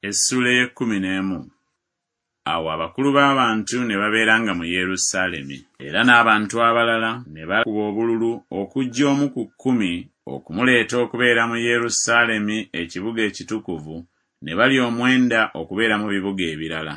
Essuula ey'ekkumi n'emu. Awo abakulu b'abantu ne babeeranga mu Yerusaalemi. Era n'abantu abalala ne bakuba obululu okuggya omu ku kkumi okumuleeta okubeera mu Yerusaalemi ekibuga ekitukuvu, ne bali omwenda okubeera mu bibuga ebirala.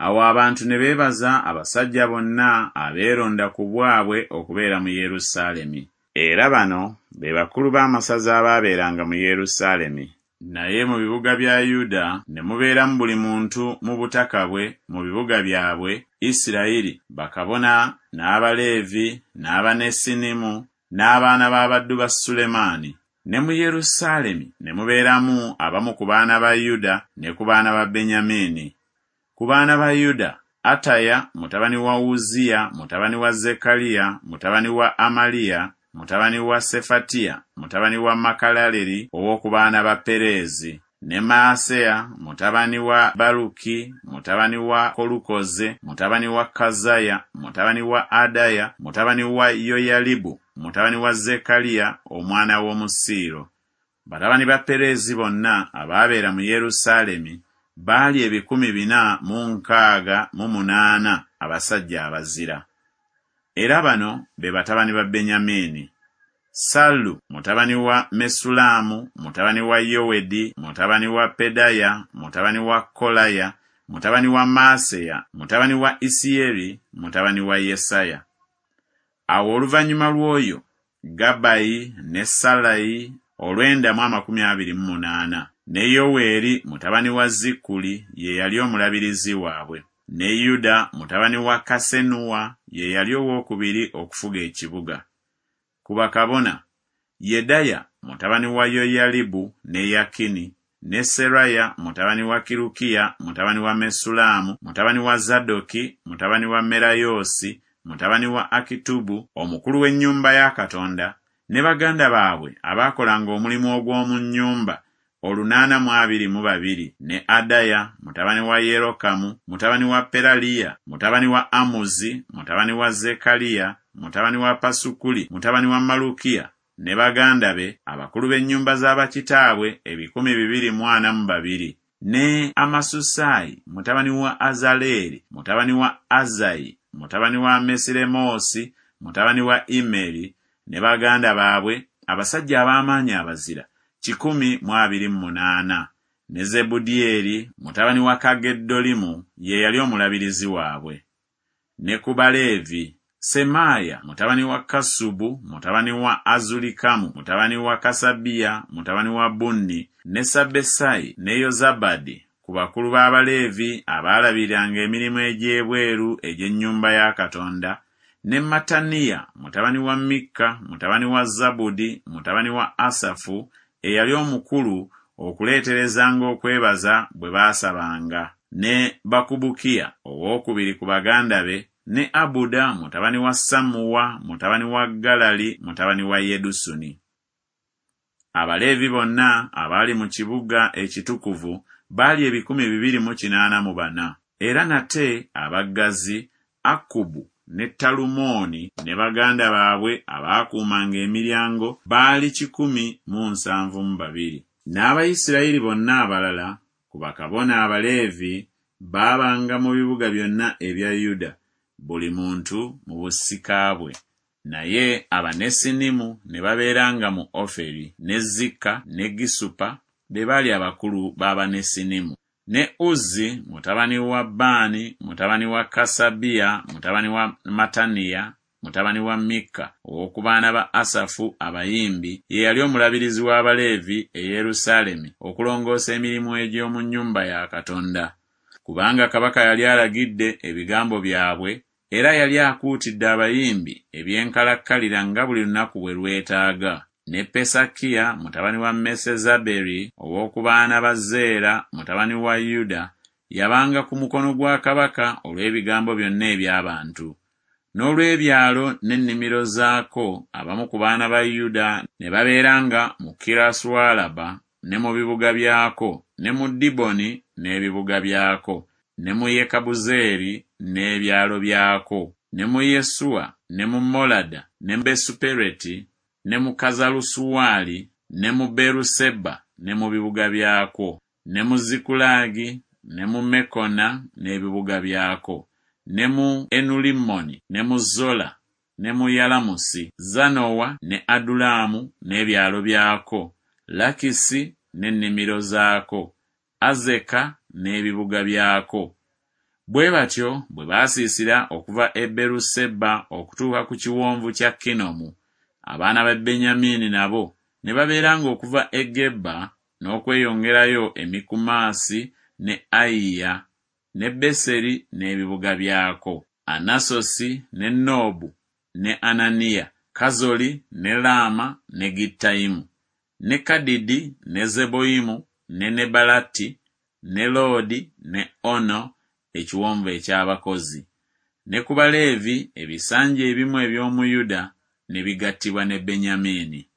Awo abantu ne beebaza abasajja bonna abeeronda ku bwabwe okubeera mu Yerusaalemi. Era bano be bakulu b'amasaza abaabeeranga mu Yerusaalemi. Naye mu bibuga bya Yuda ne mubeeramu buli muntu mu butaka bwe mu bibuga byabwe, Isiraeri, bakabona, n'Abaleevi, n'Abanesinimu, n'abaana b'abaddu ba Sulemaani. Ne mu Yerusaalemi ne mubeeramu abamu ku baana ba Yuda ne ku baana ba Benyamini. Ku baana ba Yuda, Ataya mutabani wa Uzziya mutabani wa Zekkaliya mutabani wa Amaliya mutabani wa Sefatiya mutabani wa Makalaleri ow'oku baana ba Pereezi, ne Maaseya mutabani wa Baluki mutabani wa Kolukoze mutabani wa Kazaya mutabani wa Adaya mutabani wa Yoyalibu mutabani wa Zekkaliya omwana w'Omusiiro. Batabani ba Pereezi bonna abaabeera mu Yerusaalemi baali 468 abasajja abazira. Era bano be batabani ba Benyamini: Sallu mutabani wa Mesulaamu mutabani wa Yowedi mutabani wa Pedaya mutabani wa Kolaya mutabani wa Maaseya mutabani wa Isiyeri mutabani wa Yesaya. Awo oluvannyuma lw'oyo Gabbayi ne Sallayi olwenda mu 28, ne Yoweeri mutabani wa Zikkuli ye yali omulabirizi waabwe, ne Yuda mutabani wa Kassenuwa ye yali owookubiri okufuga ekibuga. Ku bakabona, Yedaya mutabani wa Yoyalibu ne Yakini, ne Seraya mutabani wa Kirukiya mutabani wa Mesulaamu mutabani wa Zadooki mutabani wa Merayoosi mutabani wa Akitubu omukulu w'ennyumba ya Katonda, ne baganda baabwe abaakolanga omulimu ogw'omu nnyumba, 822, ne Adaya mutabani wa Yerokamu mutabani wa Peraliya mutabani wa Amuzi mutabani wa Zekkaliya mutabani wa Pasukuli mutabani wa Malukiya ne baganda be abakulu b'ennyumba za bakitaabwe 242, ne Amasusaayi mutabani wa Azaleeri mutabani wa Azayi mutabani wa Mesiremoosi mutabani wa Immeri ne baganda baabwe abasajja ab'amaanyi abazira 128, ne Zebudyeri mutabani wa Kageddolimu ye yali omulabirizi waabwe. Ne ku Baleevi, Semaaya mutabani wa Kassubu mutabani wa Azulikamu mutabani wa Kasabiya mutabani wa Bunni, ne Sabbesayi ne Yozabadi ku bakulu b'Abaleevi abaalabiriranga emirimu egy'ebweru egy'ennyumba ya Katonda, ne Mattaniya mutabani wa Mikka mutabani wa Zabudi mutabani wa Asafu eyali omukulu okuleeterezanga okwebaza bwe baasabanga, ne Bakubukiya owookubiri ku baganda be, ne Abuda mutabani wa Sammuwa mutabani wa Galali mutabani wa Yedusuni. Abaleevi bonna abaali mu kibuga ekitukuvu baali 284. Era nate abaggazi, Akkubu ne Talumooni ne baganda baabwe abaakuumanga emiryango baali 172. N'Abayisirayiri bonna abalala ku bakabona Abaleevi baabanga mu bibuga byonna ebya Yuda, buli muntu mu busika bwe. Naye Abanesinimu ne babeeranga mu Oferi, ne Zikka ne Gisupa be baali abakulu b'Abanesinimu. Ne Uzzi mutabani wa Baani mutabani wa Kasabiya mutabani wa Mattaniya mutabani wa Mikka ow'oku baana ba Asafu abayimbi ye yali omulabirizi w'Abaleevi e Yerusaalemi okulongoosa emirimu egy'omu nnyumba ya Katonda. Kubanga kabaka yali alagidde ebigambo byabwe era yali akuutidde abayimbi eby'enkalakkalira nga buli lunaku bwe lwetaaga. Ne Pesakiya mutabani wa Mesezaberi ow'oku baana ba Zeera mutabani wa Yuda yabanga ku mukono gwa kabaka olw'ebigambo byonna eby'abantu. N'olw'ebyalo n'ennimiro zaako abamu ku baana ba Yuda ne babeeranga mu Kirasualaba ne mu bibuga byako, ne mu Diboni n'ebibuga byako, ne mu Yekabuzeeri n'ebyalo byako, ne mu Yesuwa, ne mu Molada, ne Besupereti, ne mu Kazalusuwali, ne mu Beeruseba ne mu bibuga byakwo. Ne mu Zikulagi, ne mu Mekona n'ebibuga byako, ne mu Enulimmoni, ne mu Zola, ne mu Yalamusi, Zanowa ne Adulamu n'ebyalo byako, Lakisi n'ennimiro zaako, Azeka n'ebibuga byako. Bwe batyo bwe baasiisira okuva e Beruseba okutuuka ku kiwonvu kya Kinomu. Abaana ba Benyamini nabo ne babeeranga okuva e Geba n'okweyongerayo e Mikumasi ne Ayiya ne Beseri n'ebibuga byako, Anasosi ne Noobu ne Ananiya, Kazoli ne Laama ne Gittayimu, ne Kadidi ne Zeboyimu ne Nebalati ne Loodi ne Ono, ekiwonvu eky'abakozi. Ne ku Baleevi ebisanja ebimu eby'omu Yuda ne bigattibwa ne Benyamini.